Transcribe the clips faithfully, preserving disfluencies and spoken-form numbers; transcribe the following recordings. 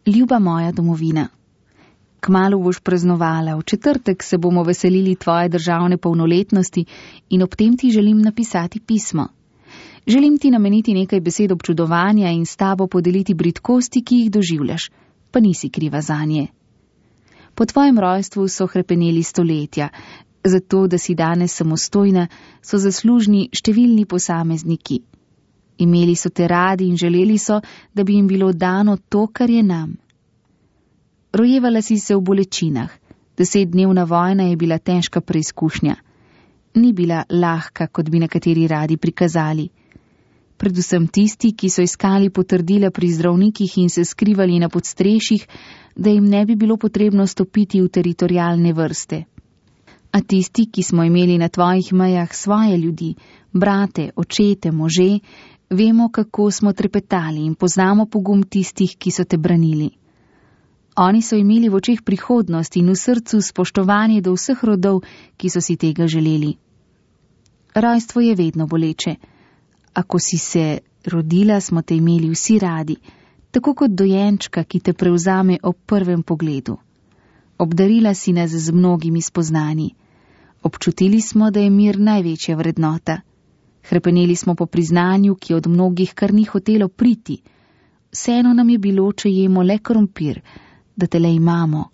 Ljuba moja domovina. Kmalu boš praznovala, v četrtek se bomo veselili tvoje državne polnoletnosti in ob tem ti želim napisati pismo. Želim ti nameniti nekaj besed občudovanja in s tabo podeliti bridkosti, ki jih doživljaš, pa nisi kriva zanje. Po tvojem rojstvu so hrepeneli stoletja, zato da si danes samostojna, so zaslužni številni posamezniki. Imeli so te radi in želeli so, da bi jim bilo dano to, kar je nam. Rojevala si se v bolečinah, desetdnevna vojna je bila težka preizkušnja. Ni bila lahka, kot bi nekateri radi prikazali. Predvsem tisti, ki so iskali potrdila pri zdravnikih in se skrivali na podstrešjih, da jim ne bi bilo potrebno stopiti v teritorialne vrste. A tisti, ki smo imeli na tvojih mejah svoje ljudi, brate, očete, može, vemo, kako smo trepetali in poznamo pogum tistih, ki so te branili. Oni so imeli v očeh prihodnost in v srcu spoštovanje do vseh rodov, ki so si tega želeli. Rojstvo je vedno boleče. Ako si se rodila, smo te imeli vsi radi, tako kot dojenčka, ki te prevzame ob prvem pogledu. Obdarila si nas z mnogimi spoznanji. Občutili smo, da je mir največja vrednota. Hrepeneli smo po priznanju, ki od mnogih kar ni hotelo priti. Vseeno nam je bilo, če jemo le krompir, da te le imamo.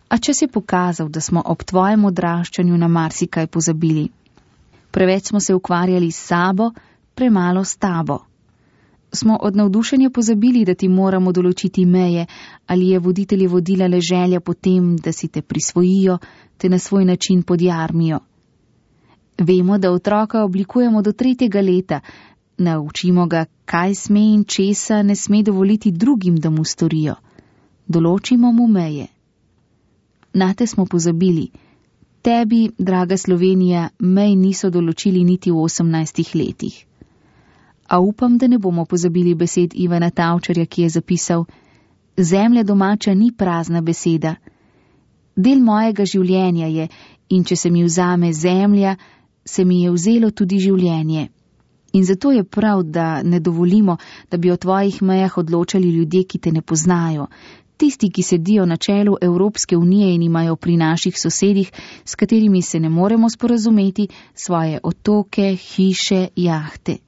A če si pokazal, da smo ob tvojem odraščanju na marsikaj pozabili. Preveč smo se ukvarjali s sabo, premalo s tabo. Smo od navdušenja pozabili, da ti moramo določiti meje, ali je voditelje vodila le želja po tem, da si te prisvojijo, te na svoj način podjarmijo. Vemo, da otroka oblikujemo do tretjega leta, naučimo ga, kaj sme in česa ne sme dovoliti drugim, da mu storijo. Določimo mu meje. Nate smo pozabili. Tebi, draga Slovenija, mej niso določili niti v osemnajstih letih. A upam, da ne bomo pozabili besed Ivana Tavčarja, ki je zapisal: Zemlja domača ni prazna beseda. Del mojega življenja je, in če se mi vzame zemlja, se mi je vzelo tudi življenje. In zato je prav, da ne dovolimo, da bi o tvojih mejah odločali ljudje, ki te ne poznajo, tisti, ki sedijo na čelu Evropske unije in imajo pri naših sosedih, s katerimi se ne moremo sporazumeti, svoje otoke, hiše, jahte.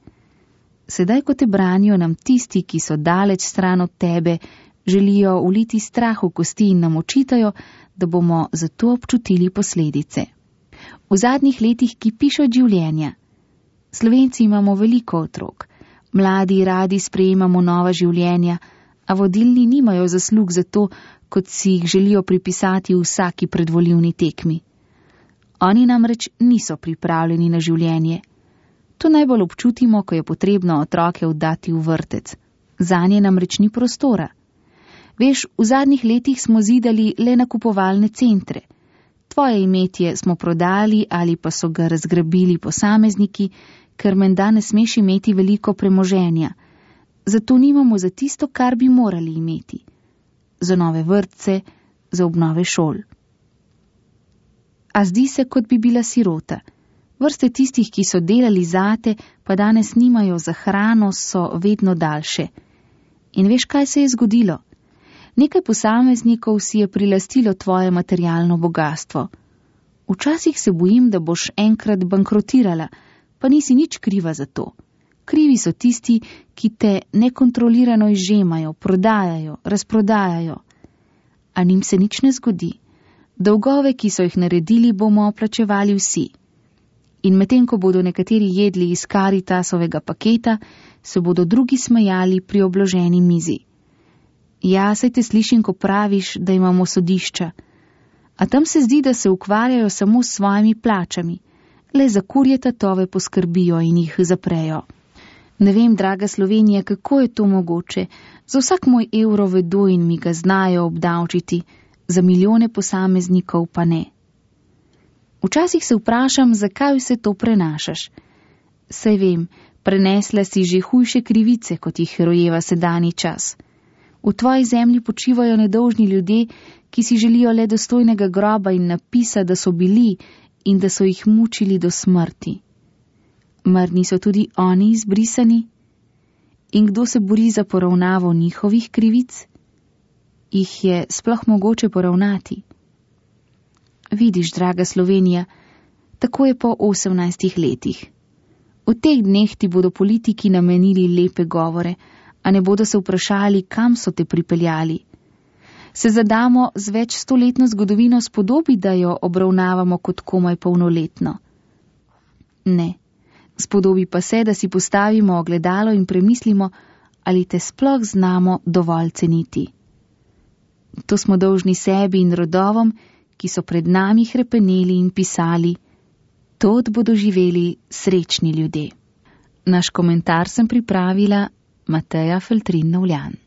Sedaj, ko te branijo nam tisti, ki so daleč stran od tebe, želijo uliti strah v kosti in nam očitajo, da bomo zato občutili posledice. V zadnjih letih kipiš od življenja. Slovenci imamo veliko otrok, mladi radi sprejemamo nova življenja, a vodilni nimajo zaslug za to, kot si jih želijo pripisati v vsaki predvolilni tekmi. Oni namreč niso pripravljeni na življenje. To najbolj občutimo, ko je potrebno otroke oddati v vrtec. Zanje namreč ni prostora. Veš, v zadnjih letih smo zidali le nakupovalne centre. Tvoje imetje smo prodali ali pa so ga razgrabili posamezniki, ker menda ne smeš imeti veliko premoženja. Zato nimamo za tisto, kar bi morali imeti. Za nove vrtce, za obnove šol. A zdi se, kot bi bila sirota. Vrste tistih, ki so delali zate, pa danes nimajo za hrano, so vedno daljše. In veš, kaj se je zgodilo? Nekaj posameznikov si je prilastilo tvoje materialno bogastvo. Včasih se bojim, da boš enkrat bankrotirala, pa nisi nič kriva za to. Krivi so tisti, ki te nekontrolirano izžemajo, prodajajo, razprodajajo. A njim se nič ne zgodi. Dolgove, ki so jih naredili, bomo plačevali vsi. In medtem, ko bodo nekateri jedli iz Caritasovega paketa, se bodo drugi smejali pri obloženi mizi. Ja, saj te slišim, ko praviš, da imamo sodišča. A tam se zdi, da se ukvarjajo samo s svojimi plačami. Le za kurje tatove poskrbijo in jih zaprejo. Ne vem, draga Slovenija, kako je to mogoče. Za vsak moj evro vedo in mi ga znajo obdavčiti, za milijone posameznikov pa ne. Včasih se vprašam, zakaj vse to prenašaš. Saj vem, prenesla si že hujše krivice, kot jih rojeva sedanji čas. V tvoji zemlji počivajo nedolžni ljudje, ki si želijo le dostojnega groba in napisa, da so bili in da so jih mučili do smrti. Mar niso tudi oni izbrisani? In kdo se bori za poravnavo njihovih krivic? jih je sploh mogoče poravnati. Vidiš, draga Slovenija, tako je po osemnajstih letih. V teh dneh ti bodo politiki namenili lepe govore, a ne bodo se vprašali, kam so te pripeljali. Se zadamo z več stoletno zgodovino spodobi, da jo obravnavamo kot komaj polnoletno? Ne, spodobi pa se, da si postavimo ogledalo in premislimo, ali te sploh znamo dovolj ceniti. To smo dolžni sebi in rodovom, ki so pred nami hrepeneli in pisali, tod bodo živeli srečni ljudje. Naš komentar sem pripravila Mateja Feltrin Novljan.